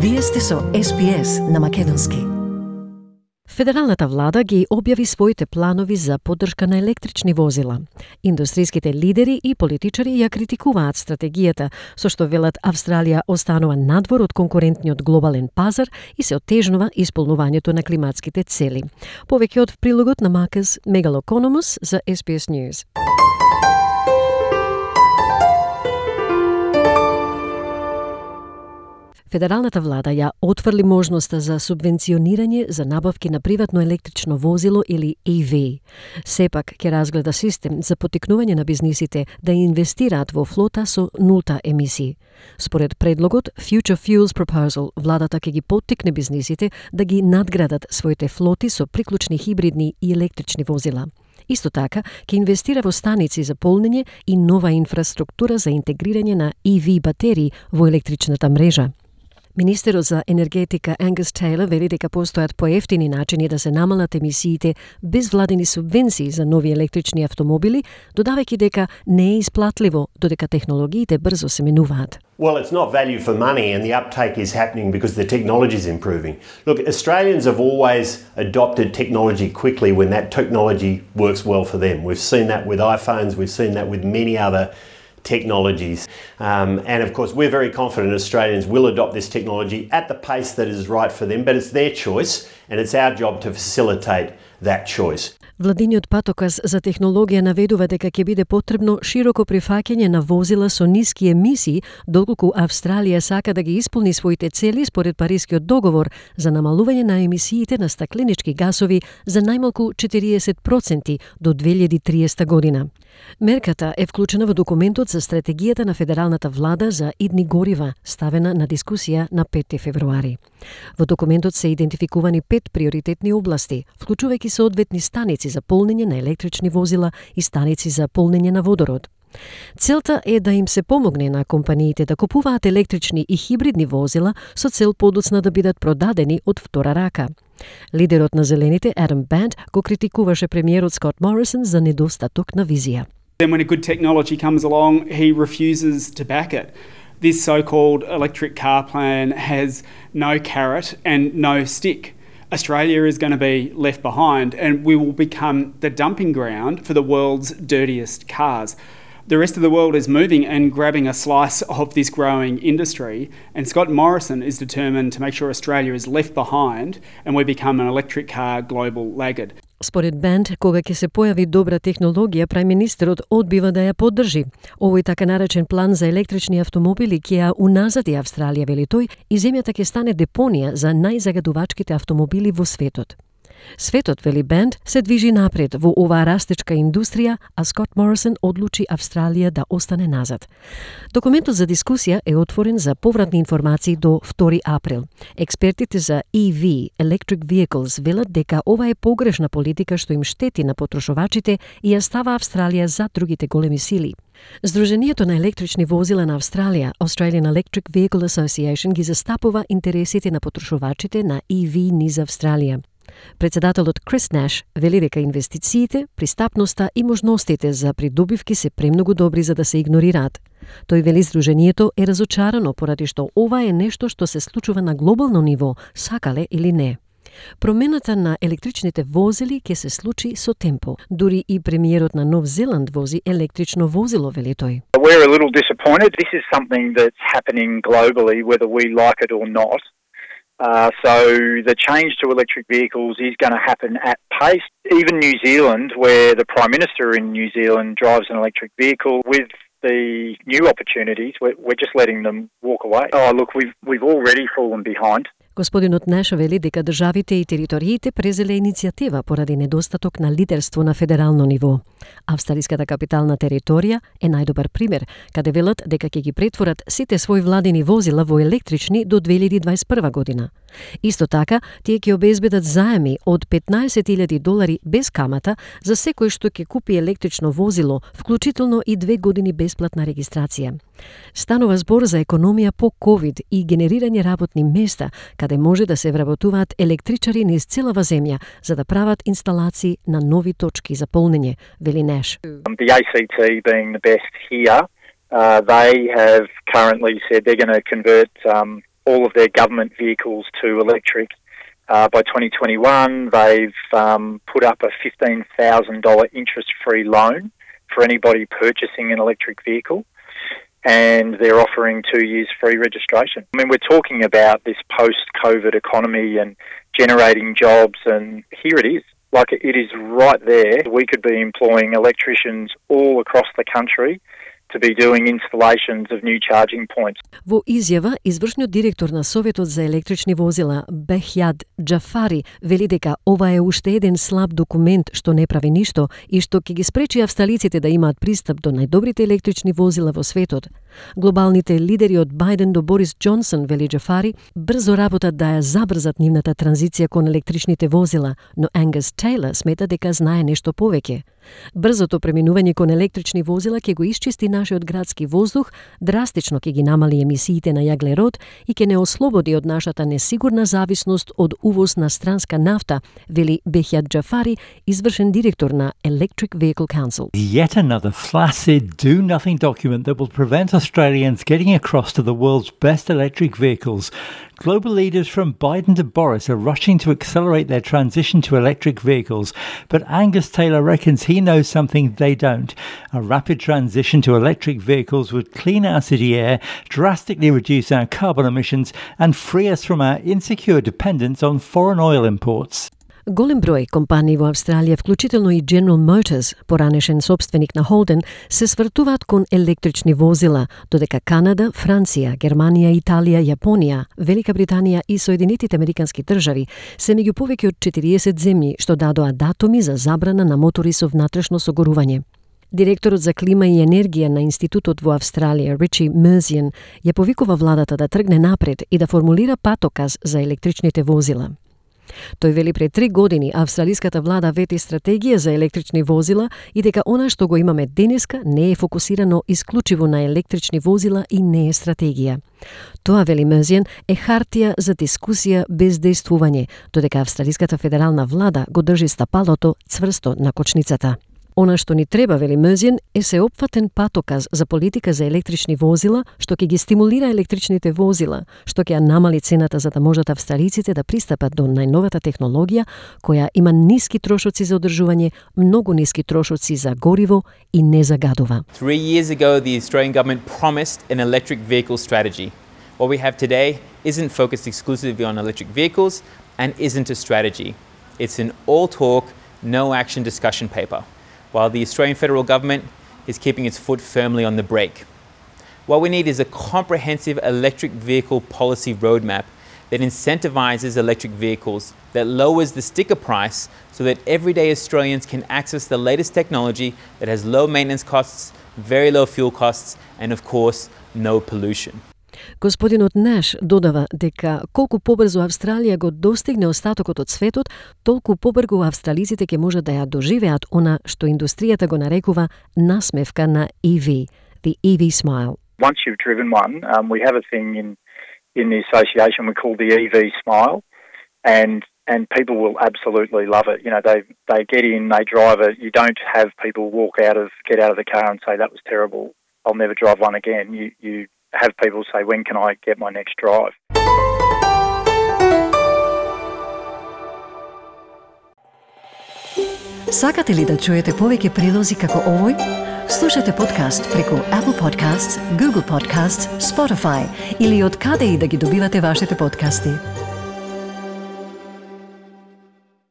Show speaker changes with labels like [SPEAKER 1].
[SPEAKER 1] Вие сте со SPS на македонски. Федералната влада ги објави своите планови за поддршка на електрични возила. Индустријските лидери и политичари ја критикуваат стратегијата, со што велат Австралија останува надвор од конкурентниот глобален пазар и се оттежнува исполнувањето на климатските цели. Повеќе од прилогот на Маркус Мегалокономус за SPS News. Федералната влада ја отврли можноста за субвенционирање за набавки на приватно електрично возило или EV. Сепак ќе разгледа систем за поттикнување на бизнисите да инвестираат во флота со нулта емисии. Според предлогот Future Fuels Proposal, владата ќе ги поттикне бизнисите да ги надградат своите флоти со приклучни хибридни и електрични возила. Исто така, ќе инвестира во станици за полнење и нова инфраструктура за интегрирање на EV батерии во електричната мрежа. Министерот за енергетика Ангус Тейлор вели дека постојат поевтини начини да се намалат емисиите без владени субвенции за нови електрични автомобили, додавајќи дека не е исплатливо додека технологиите брзо се менуваат.
[SPEAKER 2] Well, it's not value for money, and the uptake is happening because the technology is improving. Look, Australians have always adopted technology quickly when that technology works well for them. We've seen that with iPhones, we've seen that with many other technologies. And of course, we're very confident Australians will adopt this technology at the pace that is right for them, but it's their choice, and it's our job to facilitate that choice.
[SPEAKER 1] Владиниот патоказ за технологија наведува дека ќе биде потребно широко прифаќање на возила со ниски емисии, доколку Австралија сака да ги исполни своите цели според Парискиот договор за намалување на емисиите на стакленички гасови за најмалку 40% до 2030 година. Мерката е вклучена во документот за стратегијата на федералната влада за идни горива, ставена на дискусија на 5 февруари. Во документот се идентификувани 5 приоритетни области, вклучувајќи соодветни станици за полнење на електрични возила и станици за полнење на водород. Целта е да им се помогне на компаниите да купуваат електрични и хибридни возила со цел подоцна да бидат продадени од втора рака. Лидерот на Зелените, Адам Бант, го критикуваше премиерот Скот Морисон за недостаток на визија.
[SPEAKER 3] Then when a good technology comes along, he refuses to back it. This so-called electric car plan has no carrot and no stick. Australia is going to be left behind, and we will become the dumping ground for the world's dirtiest cars. The rest of the world is moving and grabbing a slice of this growing industry, and Scott Morrison is determined to make sure Australia is left behind and we become an electric car global laggard.
[SPEAKER 1] Според Бенд, кога ќе се појави добра технологија, прајминистерот одбива да ја поддржи. Овој така наречен план за електрични автомобили ќе ја уназади Австралија, вели тој, и земјата ќе стане депонија за најзагадувачките автомобили во светот. Светот, вели Бенд, се движи напред во оваа растечка индустрија, а Скот Морисон одлучи Австралија да остане назад. Документот за дискусија е отворен за повратни информации до 2 април. Експертите за EV, Electric Vehicles, велат дека ова е погрешна политика што им штети на потрошувачите и ја става Австралија за другите големи сили. Сдруженијето на електрични возила на Австралија, Australian Electric Vehicle Association, ги застапува интересите на потрошувачите на EV низ Австралија. Председателот Крис Неш вели дека инвестициите, пристапноста и можностите за придобивки се премногу добри за да се игнорираат. Тој вели сдруженијето е разочарано поради што ова е нешто што се случува на глобално ниво, сакале или не. Промената на електричните возили ќе се случи со темпо. Дури и премиерот на Нов Зеланд вози електрично возило, вели тој.
[SPEAKER 4] We're a little disappointed. This is something that's happening globally, whether we like it or not. So the change to electric vehicles is going to happen at pace. Even New Zealand, where the Prime Minister in New Zealand drives an electric vehicle, with the new opportunities, we're just letting them walk away. Oh, look, we've already fallen behind.
[SPEAKER 1] Господинот Неш вели дека државите и териториите презеле иницијатива поради недостаток на лидерство на федерално ниво. Австралиската капитална територија е најдобар пример, каде велат дека ќе ги претворат сите своји владини возила во електрични до 2021 година. Исто така, тие ќе обезбедат заеми од $15,000 без камата за секој што ќе купи електрично возило, вклучително и 2 години бесплатна регистрација. Станува збор за економија по COVID и генерирање работни места, каде може да се вработуваат електричари низ целава земја за да прават инсталации на нови точки за полнење, вели Неш.
[SPEAKER 4] The ACT being the best here, they have currently said they're going to convert all of their government vehicles to electric. By 2021, they've put up a $15,000 interest-free loan for anybody purchasing an electric vehicle, and they're offering 2 years free registration. I mean, we're talking about this post-COVID economy and generating jobs, and here it is. Like, it is right there. We could be employing electricians all across the country to be doing installations of new charging points.
[SPEAKER 1] Во изјава, извршниот директор на Советот за електрични возила, Бехјад Џафари, вели дека ова е уште еден слаб документ што не прави ништо и што ќе ги спречи австралиците да имаат пристап до најдобрите електрични возила во светот. Глобалните лидери од Бајден до Борис Џонсон, вели Џафари, брзо работат да ја забрзат нивната транзиција кон електричните возила, но Ангус Тейлор смета дека знае нешто повеќе. Брзото преминување кон електрични возила ќе го исчисти нашиот градски воздух, драстично ќе ги намали емисиите на јаглерод и ќе не ослободи од нашата несигурна зависност од увоз на странска нафта, вели Бехјад Џафари, извршен директор на Electric Vehicle Council.
[SPEAKER 5] Yet another flaccid, do-nothing document that will prevent Australians getting across to the world's best electric vehicles. Global leaders from Biden to Boris are rushing to accelerate their transition to electric vehicles, but Angus Taylor reckons he knows something they don't. A rapid transition to electric vehicles would clean our city air, drastically reduce our carbon emissions, and free us from our insecure dependence on foreign oil imports.
[SPEAKER 1] Голем број компании во Австралија, вклучително и General Motors, поранешен собственик на Holden, се свртуваат кон електрични возила, додека Канада, Франција, Германија, Италија, Јапонија, Велика Британија и Соединетите Американски држави се меѓу повеќе од 40 земји што дадоа датуми за забрана на мотори со внатрешно согорување. Директорот за клима и енергија на институтот во Австралија, Ричи Мерзијан, ја повикува владата да тргне напред и да формулира патоказ за електричните возила. Тој вели пред 3 години австралиската влада вети стратегија за електрични возила и дека она што го имаме денеска не е фокусирано исклучиво на електрични возила и не е стратегија. Тоа, вели Мерзијан, е хартија за дискусија без дејствување, додека австралиската федерална влада го држи стапалото цврсто на кочницата. Она што ни треба, вели Мерзијан, е сеопфатен патоказ за политика за електрични возила, што ќе ги стимулира електричните возила, што ќе ја намали цената за да можат австралиците да пристапат до најновата технологија, која има ниски трошоци за одржување, многу ниски трошоци за гориво и не загадува.
[SPEAKER 6] 3 years ago, the Australian government promised an electric vehicle strategy. What we have today isn't focused exclusively on electric vehicles and isn't a strategy. It's an all talk, no action discussion paper, while the Australian federal government is keeping its foot firmly on the brake. What we need is a comprehensive electric vehicle policy roadmap that incentivises electric vehicles, that lowers the sticker price so that everyday Australians can access the latest technology that has low maintenance costs, very low fuel costs, and of course, no pollution.
[SPEAKER 1] Господинот Неш додава дека колку побрзо Австралија го достигне остатокот од светот, толку побрзо австралиците ќе можат да ја доживеат она што индустријата го нарекува насмевка на EV, the EV smile.
[SPEAKER 4] Once you've driven one, we have a thing in the association we call the EV smile, and people will absolutely love it. You know, they get in, they drive it. You don't have people get out of the car and say that was terrible, I'll never drive one again. You have people say, when can I get my next drive?
[SPEAKER 1] Сакате ли да чуете повеќе прилози како овој? Слушате подкаст преку Apple Podcasts, Google Podcasts, Spotify или од каде и да ги добивате вашите подкасти.